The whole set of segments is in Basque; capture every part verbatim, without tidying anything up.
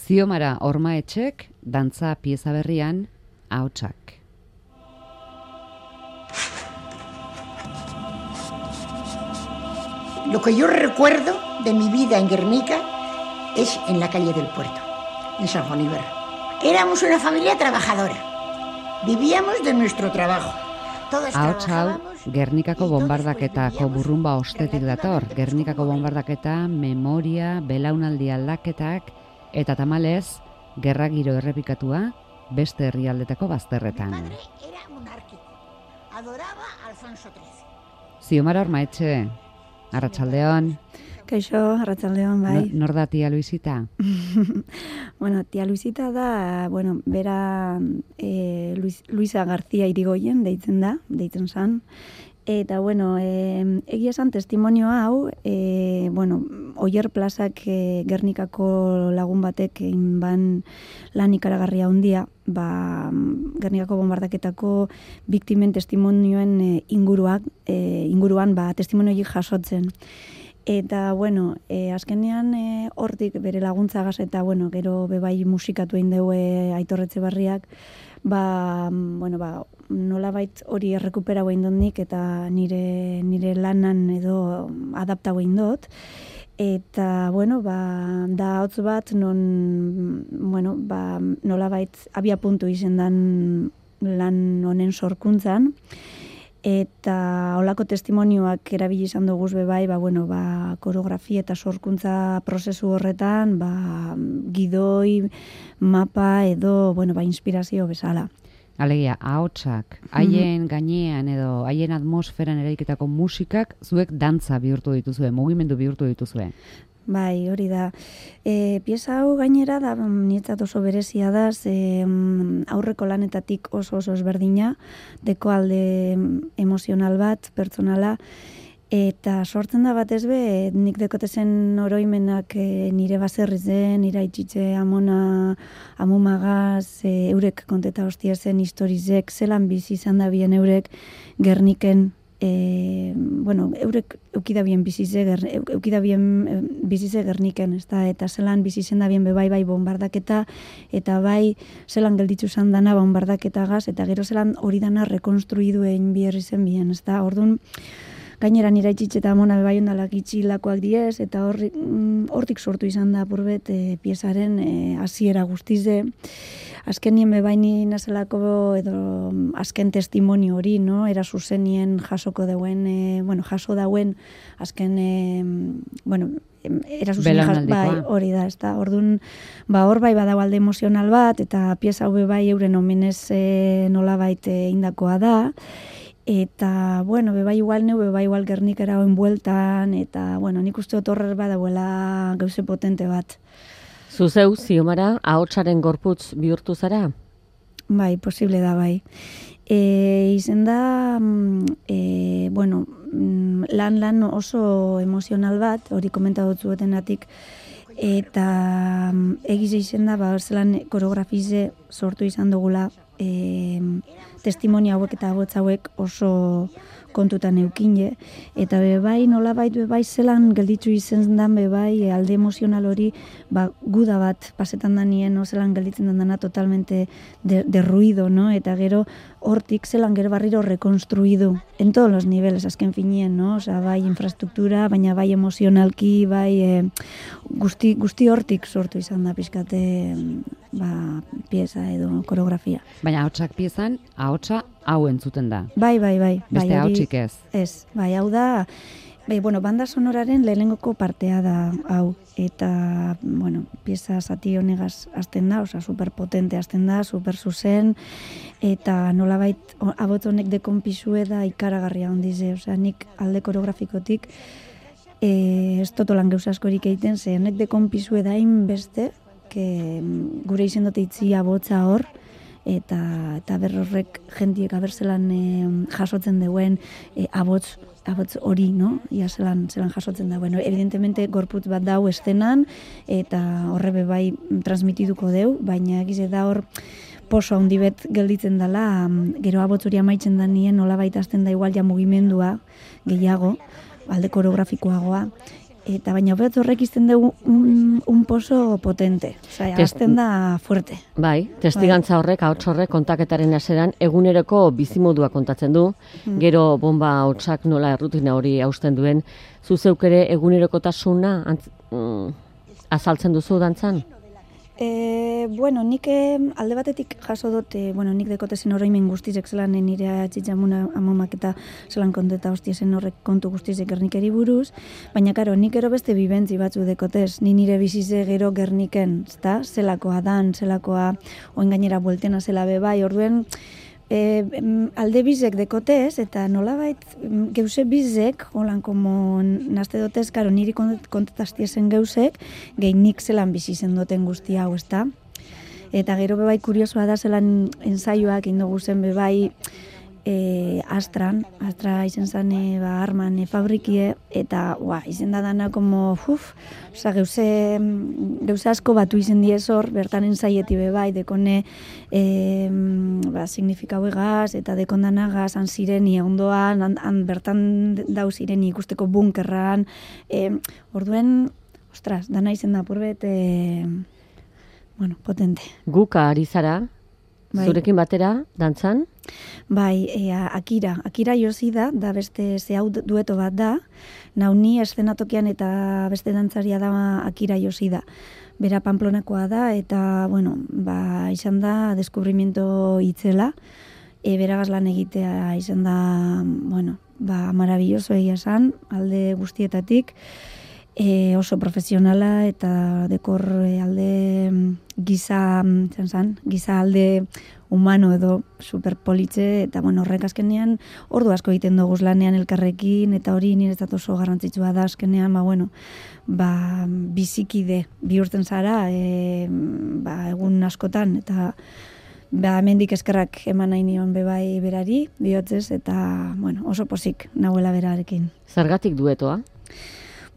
Ziomara Ormaetxek, dantza pieza berrian, Ahotsak. Lo que yo recuerdo de mi vida en Guernica es en la calle del Puerto, en San Juaniber. Éramos una familia trabajadora. Vivíamos de nuestro trabajo. Todos trabajábamos. Gernikako bombardaketako burrumba ostetik dator. Gernikako bombardaketa, memoria, belaunaldi aldaketak eta tamalez, gerra giro errepikatua beste herrialdetako bazterretan. Mi padre era monárquico. Adoraba a Alfonso trece. Ziomara Ormaetxe, arratsaldeon. Kaixo, arratsaldeon, bai. Nor da tia Luisita? Bueno, tia Luisita da, bueno, bera eh, Luis, Luisa García Irigoyen deitzen da, deitzen zan. Eta, bueno, eh, egia esan testimonio hau, eh, bueno, Oier plazak eh, Gernikako lagun batek egin ban lan ikaragarria handia, ba, Gernikako bombardaketako biktimen testimonioen eh, inguruak, eh, inguruan ba, testimonioik jasotzen. Eta, bueno, e, azkenean e, hortik bere laguntzagaz eta, bueno, gero bebai musikatu egin dugu Aitor Etxebarriak, ba, bueno, ba, nolabait hori errekuperau egin dut nik eta nire, nire lanan edo adaptau egin dut. Eta, bueno, ba, da hotz bat non, bueno, ba, nolabait abia puntu izendan lan honen sorkuntzan. Eta holako testimonioak erabili izan dugu be bai, ba, bueno, ba, koreografia eta sorkuntza prozesu horretan, ba, gidoi, mapa edo, bueno, ba, inspirazio bezala. Alegia, ahotsak, haien mm-hmm. gainean edo haien atmosferan eraiketako musikak zuek dantza bihurtu dituzue, mugimendu bihurtu dituzue. Bai, hori da. E, pieza hau gainera da, nietzat oso berezia da, ze aurreko lanetatik oso oso ezberdina, deko alde emozional bat, pertsonala, eta sortzen da batez be, nik dekotezen oroimenak e, nire baserriz den, nire itxitxe amona, amumagaz, e, eurek konteta hostia zen historizek, zelan bizi izan da bien eurek Gerniken, E, bueno, eurek eukidabien bizize, eukidabien bizize Gerniken, ez da, eta zelan bizizen da bien bebai bai bombardaketa, eta bai zelan gelditzu zan dana bombardaketagaz, eta gero zelan hori dana rekonstruidu egin bierri zen bien, ez da, orduan, gainera nira itxitxe eta amona bebai ondalak itxilakoak diez, eta horrik, hortik sortu izan da apurbet e, piezaren hasiera e, guztize. Azken nien bebaini nazelako edo azken testimonio hori, no? Era zuzenien jasoko dauen, e, bueno, jaso dauen azken, e, bueno, era zuzenien jaso, bai, hori da, ez da. Orduan, ba, hor bai badau alde emozional bat, eta pieza hau bai euren omenez e, nolabait indakoa da. Eta, bueno, bebai igual neu, bebai igual Gernikera hoen bueltan, eta, bueno, nik uste otorrer badauela gauze potente bat. Zuzeu, Ziomara, ahotsaren gorputz bihurtu zara? Bai, posible da, bai. E, izen da, e, bueno, lan-lan oso emozional bat, hori komentatu zuetenatik, eta egiz izen da, ba, zelan koreografize sortu izan dugula, e, testimonio hauek eta agotz hauek oso kontutan eukine, eta bebai nolabait bebai zelan gelditzu izen dan bebai alde emozional hori ba, guda bat pasetan da nien, no? Zelan gelditzen dana totalmente de, de ruido, no? Eta gero hortik zelan gero barriro rekonstruidu en todos los niveles, azken finien, no? Osa, bai infrastruktura, baina bai emozionalki, bai e, guzti, guzti hortik sortu izan da pizkate ba, pieza edo koreografia. Baina ahotsak piezan, ahotsa hau entzuten da. Bai, bai, bai. Beste bai, ahotsik ez. Ez, bai, hau da, bai, bueno, banda sonoraren lehenengoko partea da hau. Eta, bueno, pieza zati honegaz azten da, oza, superpotente azten da, super zuzen, eta nolabait, abot honek dekonpisue da ikaragarria ondize, oza, nik alde koreografikotik, e, ez totolan gauza askorik egiten, ze honek dekonpisue da inbeste, que gure izen dut itzi abotza hor, eta eta berrorrek jentiek abertzelan e, jasotzen duen e, abotz abotz hori, no? Ia zelan, zelan jasotzen da. Bueno, evidentemente gorputz bat dau estenan eta horrebe bai transmitiduko deu, baina egize da hor poso handi bet gelditzen dela, gero abotz hori amaitzen da nien nolabait hasten da igual ja mugimendua gehiago, alde koreografikoagoa. eta baina hobeto horrek izten dugu un, un poso potente. Osea, azten da fuerte. Bai, testigantza horrek, ahots horrek kontaketaren haseran eguneroko bizimodua kontatzen du, mm. gero bomba ahotsak nola errutina hori hausten duen, zu zeuk ere egunerokotasuna antz, mm, azaltzen duzu dantzan? E, bueno, nik alde batetik jaso dut, e, bueno, nik dekotezen oroimen guztizek zelan nire atxitxamuna amomak eta zelan konteta hostiezen horrek kontu guztizek Gernikeri buruz, baina karo, nik ero beste bibentzi batzu dekotez, ni nire bizize gero Gerniken, zta, zelakoa dan, zelakoa oin gainera bueltena zela bebai, orduen, E, alde bizek dekotez, eta nolabait geuse bizek, holan komo nazte dotez, karo, niri kontetaztiezen geusek, gehin nik zelan bizi zen duten guzti hau, ezta? Eta gero bebai kuriosoa da zelan ensaioak indogu zen bebai e, Astran, Astra izen zen e, ba, arman e, fabrikie, eta ua, izen da dana como, uf, oza, geuse, geuse asko batu izen diez hor, bertan ensaieti bebai, dekone e, ba, signifikau egaz, eta dekondanagaz, han zireni ondoan, han, han bertan dau zireni ikusteko bunkerran, e, orduen, ostras, dana izen da purbet, e, bueno, potente. Guka ari zara, bai. Zurekin batera, dantzan? Bai, e, Akira, Akira josi da, da beste ze hau dueto bat da, nauni eszenatokian eta beste dantzaria da Akira josi da. Bera Pamplonakoa da, eta, bueno, ba, izan da deskubrimiento itzela, e, bera gazlan egitea izan da, bueno, ba, maravilloso egia esan, alde guztietatik, e, oso profesionala eta dekor e, alde giza, zan, giza alde humano edo superpolitze, eta bueno, horrek azkenean ordu asko egiten dugu lanean elkarrekin, eta hori niretzat oso garrantzitsua da azkenean, ba, bueno, ba, bizikide bihurtzen zara, e, ba, egun askotan, eta ba, hemendik eskerrak eman nahi nion bebai berari, bihotzez, eta bueno, oso pozik nahuela berarekin. Zergatik duetoa?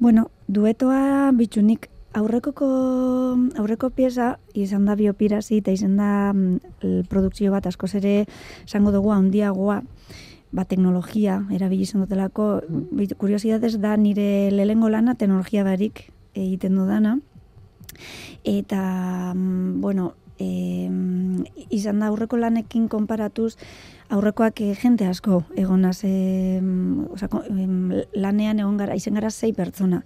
Bueno, duetoa bitxunik aurrekoko aurreko pieza izan da biopirasi eta izan da mm, produkzio bat askoz ere esango dugu handiagoa, ba, teknologia erabili izan dutelako. Mm. Kuriosidadez da nire lehengo lana teknologia barik egiten dudana, eta mm, bueno, e, izan da aurreko lanekin konparatuz aurrekoak e, jente asko egonaz, e, oza, e, lanean egon gara, izen gara sei pertsona.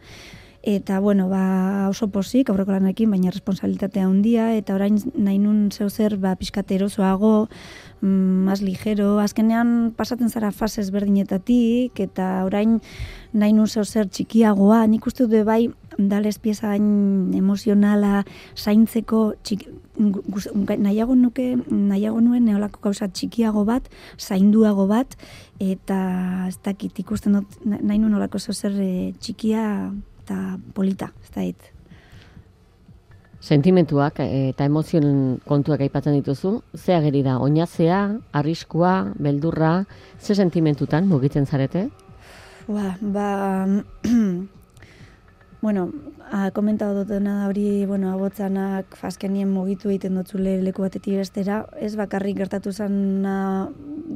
Eta, bueno, ba, oso pozik, aurreko lanekin, baina responsabilitatea handia, eta orain nahi nun zeu zer, ba, pixkate erosoago, mm, más ligero, azkenean pasatzen zara fasez berdinetatik, eta orain nahi nun zeu zer txikiagoa, nik uste dut bai, dales pieza hain emozionala, zaintzeko, txik, nahiago nuke, nahiago nuen neolako gauza txikiago bat, zainduago bat, eta ez dakit ikusten dut, nahi nun olako zeu zer e, txikia, eta polita, ez da hit. Sentimentuak eta emozioen kontuak aipatzen dituzu, ze ageri da, oinazea, arriskua, beldurra, ze sentimentutan mugitzen zarete? Ba, ba bueno, ha komentatu dutena da hori, bueno, abotzanak azkenien mugitu egiten dutzule leku batetik bestera, ez bakarrik gertatu zana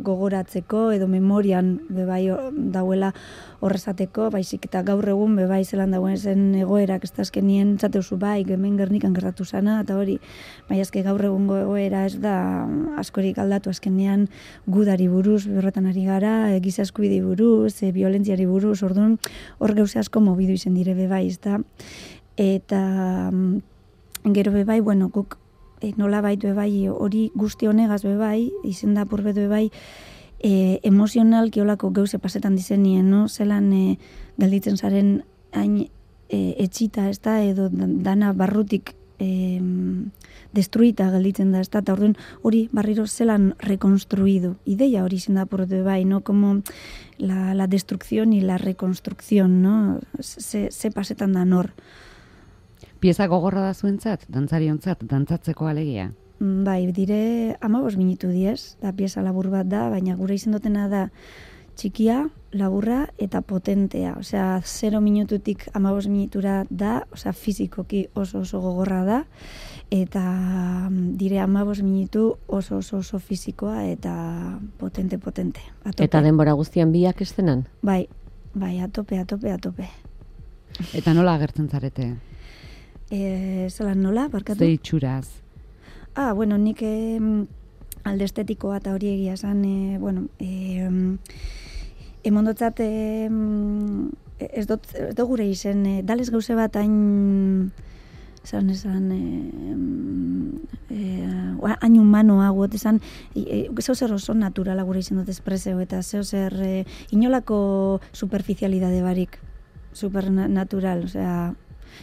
gogoratzeko edo memorian bebai dauela horrezateko, baizik eta gaur egun bebai zelan dagoen zen egoerak, ez da azkenien zateuzu bai, hemen Gernikan gertatu zana, eta hori, bai azke gaur egungo egoera ez da askorik aldatu azkenean gudari buruz, berrotan ari gara, e, giza eskubidei buruz, e, violentziari buruz, orduan hor gauze asko mobidu izen dire bebai, ez da, eta gero bebai, bueno, guk e, nola baitu bebai, hori guzti honegaz bebai, izen da purbetu bebai, e, emozional kiolako gauze pasetan dizenien, no? Zelan e, galditzen zaren hain e, etxita, ez da, edo dana barrutik e, destruita galditzen da, ez da, eta orduan hori barriro zelan rekonstruidu. Ideia hori izen da purbetu bebai, no? Como la, la destrucción y la reconstrucción, no? Ze, ze pasetan da nor. Pieza gogorra da zuentzat, dantzariontzat, dantzatzeko alegia? Bai, dire hamabos minutu diez, da pieza labur bat da, baina gure izen dutena da txikia, laburra eta potentea. Osea, zero minututik hamabos minutura da, osea, fizikoki oso oso gogorra da, eta dire hamabos minutu oso oso oso fizikoa eta potente, potente. Atope. Eta denbora guztian biak estenan? Bai, bai, atope, atope, atope. Eta nola agertzen zarete? E, zelan nola, barkatu? Ze itxuraz? Ah, bueno, nik eh, alde estetikoa eta hori egia esan, eh, bueno, eh, emondotzat eh, ez dut, ez dut gure izen, eh, dalez gauze bat hain, esan esan, eh, eh, hain humanoa guot, esan, eh, zeu zer oso naturala gure izen dut espreseo, eta zeu zer eh, inolako superficialidade barik, supernatural, osea,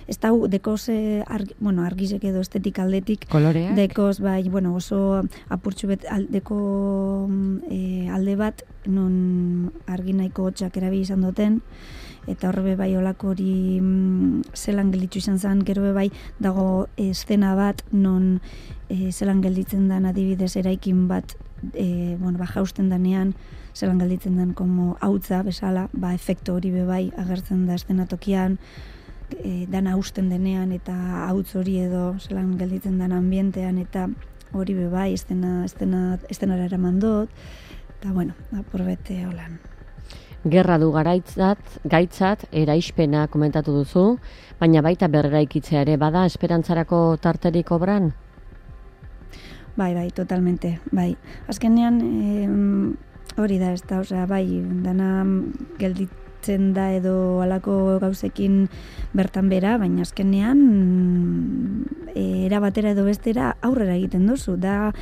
ez da, dekoz, eh, argi, bueno, argizek edo estetik aldetik, koloreak? dekoz, bai, bueno, oso apurtxu bet aldeko eh, alde bat, non argi nahiko hotxak erabi izan duten, eta horre bai olako hori mm, zelan gelditu izan zen, gero bai dago eszena bat, non eh, zelan gelditzen den adibidez eraikin bat, eh, bueno, ba, jausten danean, zelan gelditzen den como hautza bezala, ba, efektu hori bebai agertzen da eszenatokian, e, dana hausten denean eta hautz hori edo zelan gelditzen den ambientean eta hori bebai estena, estena, estenara eraman dut, eta bueno, apurbete holan. Gerra du garaitzat, gaitzat, eraispena komentatu duzu, baina baita berreraikitzea ere bada esperantzarako tarterik obran? Bai, bai, totalmente, bai. Azkenean, eh, hori da, ez da, osea, bai, dana gelditzen da edo halako gauzekin bertan bera, baina azkenean e, era batera edo bestera aurrera egiten duzu. Da,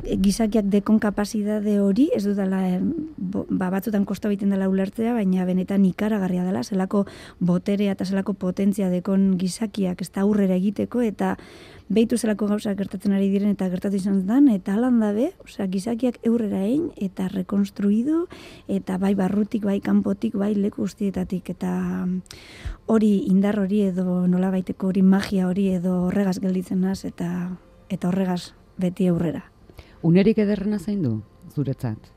gizakiak dekon kapazidade hori, ez dudala, eh, bo, ba, batzutan kosta egiten dela ulertzea, baina benetan ikaragarria dela, zelako boterea eta zelako potentzia dekon gizakiak ez da aurrera egiteko, eta behitu zelako gauzak gertatzen ari diren eta gertatu izan zen, eta alan dabe, osea, gizakiak eurrera egin eta rekonstruidu, eta bai barrutik, bai kanpotik, bai leku guztietatik, eta hori indar hori edo nola baiteko hori magia hori edo horregaz gelditzen naz, eta, eta horregaz beti aurrera. Unerik ederrena zein du, zuretzat?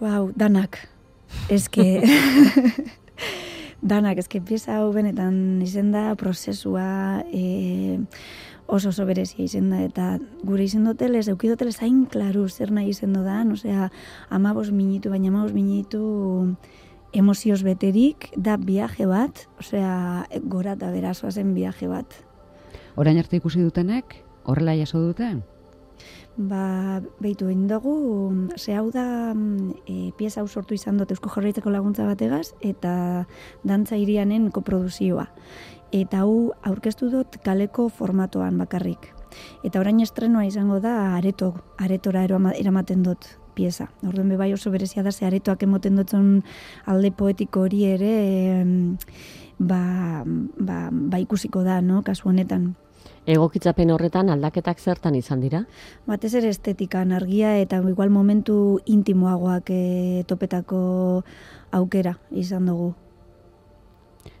Wow, danak. Eske... danak, eske pieza hau benetan izen da, prozesua e, oso oso berezia izen da, eta gure izen dotelez, eukidotelez hain klaru zer nahi izen dodan, osea, amabos minitu, baina amabos minitu emozioz beterik, da viaje bat, osea, gora eta berazoa zen viaje bat. Orain arte ikusi dutenek, horrela jaso dute? Ba, behitu egin dugu, ze hau da e, pieza hau sortu izan dut Eusko Jaurlaritzako laguntza bategaz, eta dantza irianen koproduzioa. Eta hau aurkeztu dut kaleko formatoan bakarrik. Eta orain estrenoa izango da areto, aretora eramaten dut pieza. Orduan bebai oso berezia da, ze aretoak emoten dutzen alde poetiko hori ere e, ba, ba, ba ikusiko da, no, kasu honetan. Egokitzapen horretan aldaketak zertan izan dira? Batez ere estetikan argia eta igual momentu intimoagoak e, topetako aukera izan dugu.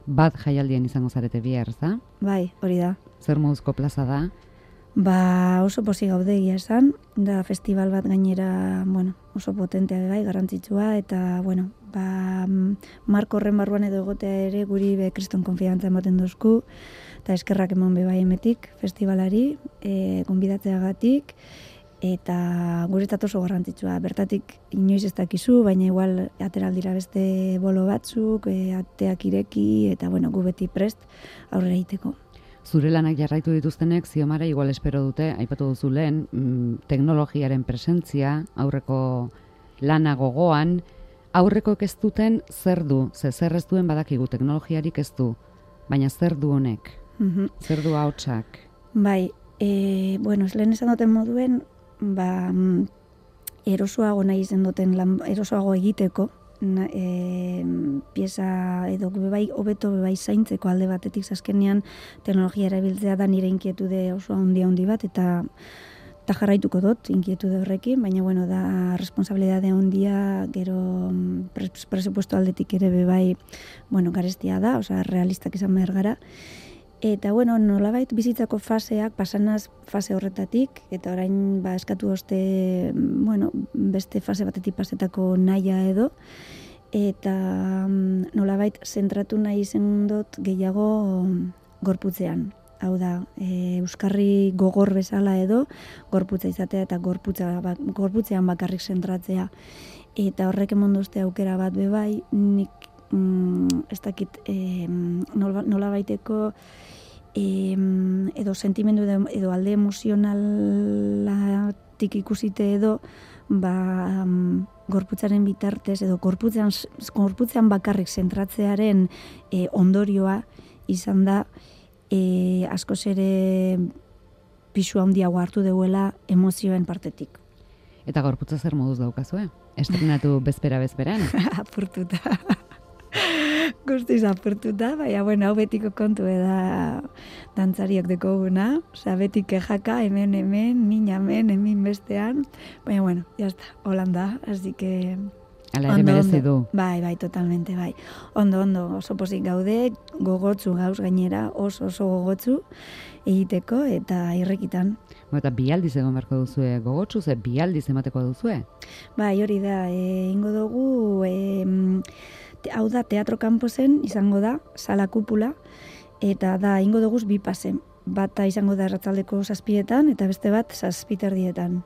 Bat jaialdien izango zarete bihar, da? Bai, hori da. Zer moduzko plaza da? Ba, oso posi gaude egia esan, da festival bat gainera, bueno, oso potentea gai, garrantzitsua, eta, bueno, ba, marko horren barruan edo egotea ere guri be kriston konfiantza ematen duzku, eta eskerrak eman bebai emetik festivalari, e, gonbidatzeagatik, eta guretzat oso garrantzitsua. Bertatik inoiz ez dakizu, baina igual ateraldira beste bolo batzuk, e, ateak ireki, eta bueno, gu beti prest aurrera egiteko. Zure lanak jarraitu dituztenek, ziomara igual espero dute, aipatu duzu lehen, mm, teknologiaren presentzia, aurreko lana gogoan, aurreko ez duten zer du, ze zer ez duen badakigu teknologiarik ez du, baina zer du honek, Mhm. zer du ahotsak. Bai, e, bueno, lehen esan duten moduen, ba, mm, erosoago nahi izen duten, lan, erosoago egiteko, na, e, pieza edo bebai, hobeto bebai zaintzeko alde batetik azkenean teknologia erabiltzea da nire inkietude oso handi handi bat, eta eta jarraituko dut inkietude horrekin, baina bueno, da responsabilidade handia, gero pres, presupuesto aldetik ere bebai, bueno, garestia da, osea, realistak izan behar gara. Eta, bueno, nolabait bizitzako faseak, pasanaz fase horretatik, eta orain ba, eskatu oste, bueno, beste fase batetik pasetako nahia edo, eta nolabait zentratu nahi izan dut gehiago gorputzean. Hau da, e, euskarri gogor bezala edo, gorputza izatea eta gorputza, ba, gorputzean bakarrik zentratzea. Eta horrek emonduzte aukera bat bebai, nik mm, ez dakit, e, nola, nola baiteko, e, edo sentimendu edo, edo alde emozionalatik ikusite edo, ba, um, gorputzaren bitartez, edo gorputzean, gorputzean bakarrik zentratzearen e, ondorioa izan da, e, askoz ere pisu handiago hartu deuela emozioen partetik. Eta gorputza zer moduz daukazue? Estrenatu bezpera-bezperan? Apurtuta. Guztiz apurtuta, baina, bueno, hau betiko kontu eda dantzariok dekoguna, oza, beti kejaka, hemen, hemen, min hemen, hemen bestean, baina, bueno, jazta, holanda, así que... Ala ere merezi du. Bai, bai, totalmente, bai. Ondo, ondo, oso pozik gaude, gogotzu gauz gainera, oso oso gogotzu egiteko eta irrekitan. Bo, eta bi aldiz egon beharko duzue gogotsu, ze bi aldiz emateko duzue? Bai, hori da, e, ingo dugu, e, te, hau da, teatro kanposen izango da, sala kupula, eta da, ingo dugu bi pase. Bata izango da erratzaldeko zazpietan, eta beste bat zazpiterdietan.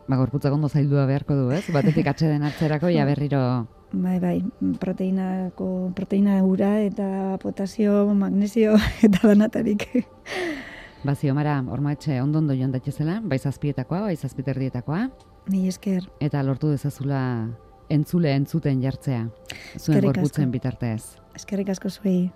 Ba, gorputzak ondo zaildua beharko du, ez? Batetik atxeden hartzerako, ja berriro... Bai, bai, proteinako, proteina ura eta potasio, magnesio eta danatarik. Ba, Ziomara, Ormaetxe, ondo-ondo joan daitezela, bai zazpietakoa, bai zazpiterdietakoa. Mi esker. Eta lortu dezazula entzule entzuten jartzea, zuen gorputzen bitartez. Eskerrik asko zuei.